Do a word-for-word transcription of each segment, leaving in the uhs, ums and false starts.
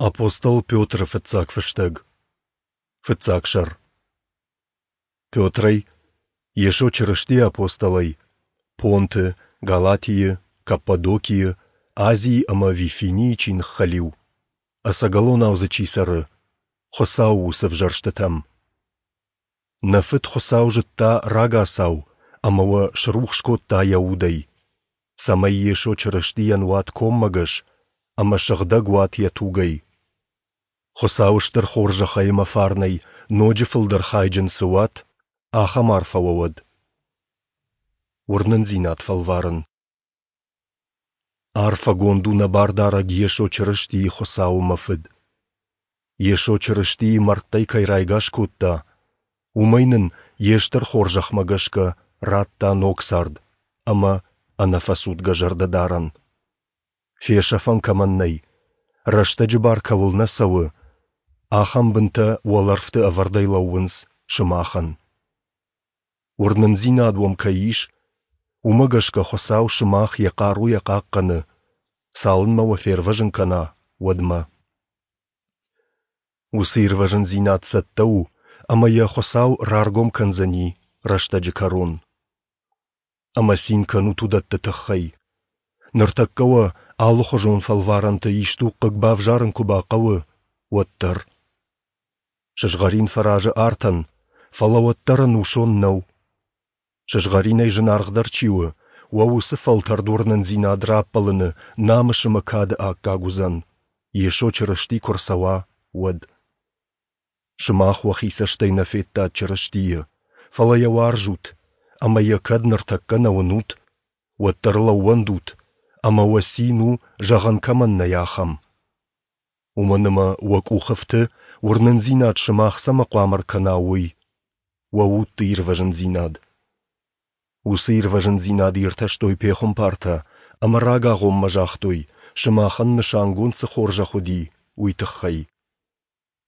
Апостол Петры фыццаг фыстӕг. Фыццаг сӕр. Петрӕй, Йесо Чырыстийы апостолӕй, Понты, Галатийы, Каппадокийы, Азийы ӕмӕ Вифинийы чи ныххӕлиу, ӕцӕгӕлонау дзы чи цӕры, Хуыцауы уыцы ӕвзӕрстытӕм. Нӕ Фыд Хуыцау зыдта рагацау ӕмӕ уӕ срухс кодта Йӕ Удӕй, цӕмӕй Йесо Чырыстийӕн уат коммӕгӕс ӕмӕ сыгъдӕг уат Йӕ тугӕй. Хуыцауы стыр хорзӕхӕй ӕмӕ фарнӕй ноджы фылдӕр хайджын цы уат, ахӕм арфӕ уӕ уӕд. Уырнындзинад фӕлварын. Арфӕгонд у нӕ Бардарӕг Йесо Чырыстийы Хуыцау ӕмӕ Фыд. Йесо Чырыстийы мӕрдтӕй кӕй райгас кодта, уымӕй нын Йе стыр хорзӕхмӕ гӕсгӕ радта ног цард ӕмӕ ӕнӕфӕцудгӕ зӕрдӕдарӕн. Фесӕфӕн кӕмӕн нӕй, рӕстӕджы бар кӕуыл нӕ цӕуы, ахӕм бынтӕ уӕлӕрвты ӕвӕрдӕй лӕууынц сымахӕн. Уырнындзинад уӕм кӕй ис, уымӕ гӕсгӕ Хуыцау сымах Йӕ хъаруйӕ хъахъхъӕны, цалынмӕ уӕ фервӕзын кӕна, уӕдмӕ. Уыцы ирвӕзындзинад цӕттӕ у, ӕмӕ йӕ Хуыцау раргом кӕндзӕни рӕстӕджы кӕрон. Ӕмӕ цин кӕнут уыдӕтты тыххӕй. Ныртӕккӕ уӕ алыхуызон фӕлварӕнты исдуг хъыг бавзарын куы бахъӕуы, уӕддӕр. Сызгъӕрин фӕразы артӕн, фӕлӕ уӕддӕр ӕнусон нӕу. Сызгъӕринӕй зынаргъдӕр чи у, уӕ уыцы фӕлтӕрд уырнындзинад раппӕлыны намыс ӕмӕ кады аккаг уыдзӕн, Йесо Чырысти куы рцӕуа, уӕд. Сымах уӕхи цӕстӕй нӕ федтат Чырыстийы, фӕлӕ йӕ уарзут, ӕмӕ йӕ кӕд ныртӕккӕ нӕ уынут, уӕддӕр ыл ӕууӕндут, ӕмӕ уӕ цин у, зӕгъӕн кӕмӕн нӕй, ахӕм. Уымӕн ӕмӕ уӕ къухы фты, уырнындзинад сымах цӕмӕ хъуамӕ ӕркӕна, уый – уӕ удты ирвӕзындзинад. Уыцы ирвӕзындзинад иртӕстой пехуымпартӕ ӕмӕ рагагъоммӕ загътой, сымахӕн нысангонд цы хорзӕх уыди, уый тыххӕй.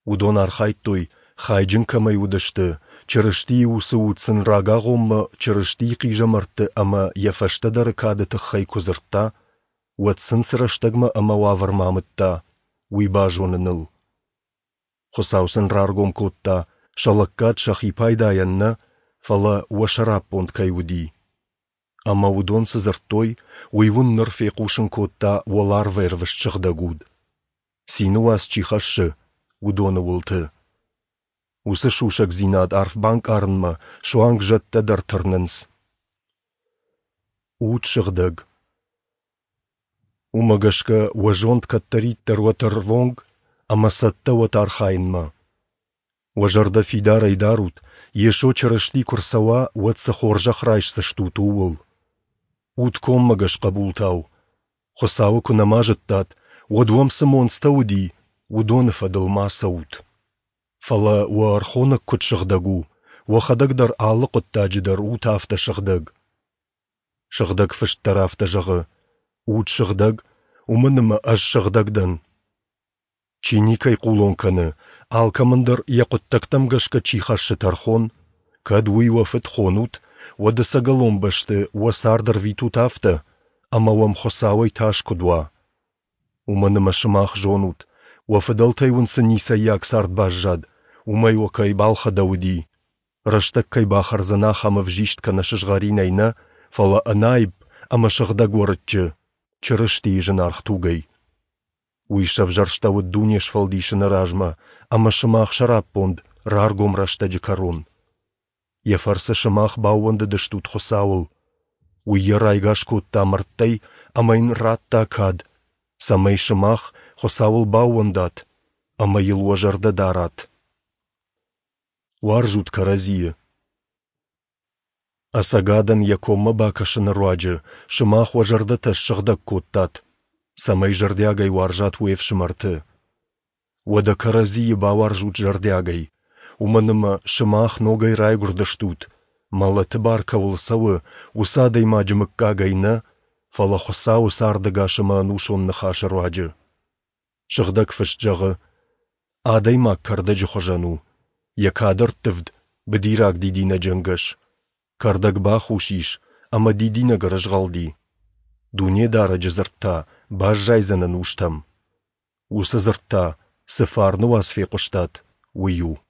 Уыдон архайдтой, хайджын кӕмӕй уыдысты, Чырыстийы уыцы уд сын рагагъоммӕ Чырыстийы хъизӕмӕртты ӕмӕ йӕ фӕстӕдӕры кады тыххӕй куы дзырдта, уӕд сын цы рӕстӕгмӕ ӕмӕ уавӕрмӕ амыдта, уый базоныныл. Хуыцау сын раргом кодта, сӕ лӕггад сӕхи пайдайӕн нӕ, фӕлӕ уӕ сӕраппонд кӕй уыди. Ӕмӕ уыдон цы дзырдтой, уый уын ныр фехъусын кодта уӕларвӕрвыст Сыгъдӕг Уд, цины уац чи хӕссы, уыдоны уылты. Уыцы сусӕгдзинад арф банкъарынмӕ суанг зӕдтӕ дӕр тырнынц. Уд сыгъдӕг. Уымӕ гӕсгӕ уӕ зонд кӕддӕриддӕр уӕд ӕрвонг ӕмӕ цӕттӕ уӕд архайынмӕ. Уӕ зӕрдӕ фидарӕй дарут, Йесо Чырысти куы рцӕуа, уӕд цы хорзӕх райсдзыстут, ууыл. Ут коммӕгӕс хъӕбултау. Хуыцауы куы нӕма зыдтат, уӕд уӕм цы монцтӕ уыди, уыдоны фӕдыл ма цӕут. Фӕлӕ уӕ ӕрхонӕг куыд сыгъдӕг у, уӕхӕдӕг дӕр алы хъуыддаджы дӕр ут афтӕ сыгъдӕг. Сыгъдӕг Фыст дӕр афтӕ зӕгъы: Ут сыгъдӕг, уымӕн ӕмӕ Ӕз сыгъдӕг дӕн. Чи никӕй хъулон кӕны, алкӕмӕн дӕр йӕ хъуыддӕгтӕм гӕсгӕ чи хӕссы тӕрхон, кӕд уый уӕ фыд хонут, уӕд ӕцӕгӕлон бӕсты уӕ цард ӕрвитут афтӕ, ӕмӕ уӕм Хуыцауӕй тас куыд уа. Уымӕн ӕмӕ сымах зонут, уӕ фыдӕлтӕй уын цы ницӕййаг цард баззад, уымӕй уӕ кӕй балхӕдӕуыди, рӕстӕг кӕй бахӕрдзӕн ахӕм ӕвзист кӕнӕ сызгъӕринӕй нӕ, фӕлӕ ӕнаипп ӕмӕ сыгъдӕг уӕрыччы, Чырыстийы зынаргъ тугӕй. Уый сӕвзӕрстӕуыд дуне сфӕлдисыны размӕ ӕмӕ сымах сӕраппонд раргом рӕстӕджы кӕрон. Йӕ фӕрцы сымах баууӕндыдыстут Хуыцауыл. Уый йӕ райгас кодта мӕрдтӕй ӕмӕ йын радта кад, цӕмӕй сымах Хуыцауыл баууӕндат ӕмӕ йыл уӕ зӕрдӕ дарат. Уарзут кӕрӕдзийы. Ӕцӕгадӕн йӕ коммӕ бакӕсыны руаджы сымах уӕ зӕрдӕтӕ ссыгъдӕг кодтат, цӕмӕй зӕрдиагӕй уарзат уе фсымӕрты. Уӕдӕ кӕрӕдзийы бауарзут зӕрдиагӕй, уымӕн ӕмӕ сымах ногӕй райгуырдыстут, мӕлӕты бар кӕуыл цӕуы, уыцы адӕймаджы мыггагӕй нӕ, фӕлӕ Хуыцауы цардӕгас ӕмӕ ӕнусон ныхасы руаджы. Сыгъдӕг Фыст зӕгъы: Адӕймаг кӕрдӕджы хуызӕн у, йӕ кадӕрттывд быдираг дидинӕджы ӕнгӕс. Кӕрдӕг бахус ис ӕмӕ дидинӕг ӕрызгъӕлди. Дунедарӕджы дзырд та баззайдзӕн ӕнустӕм. Уыцы дзырд та цы фарны уац фехъуыстат, уый у.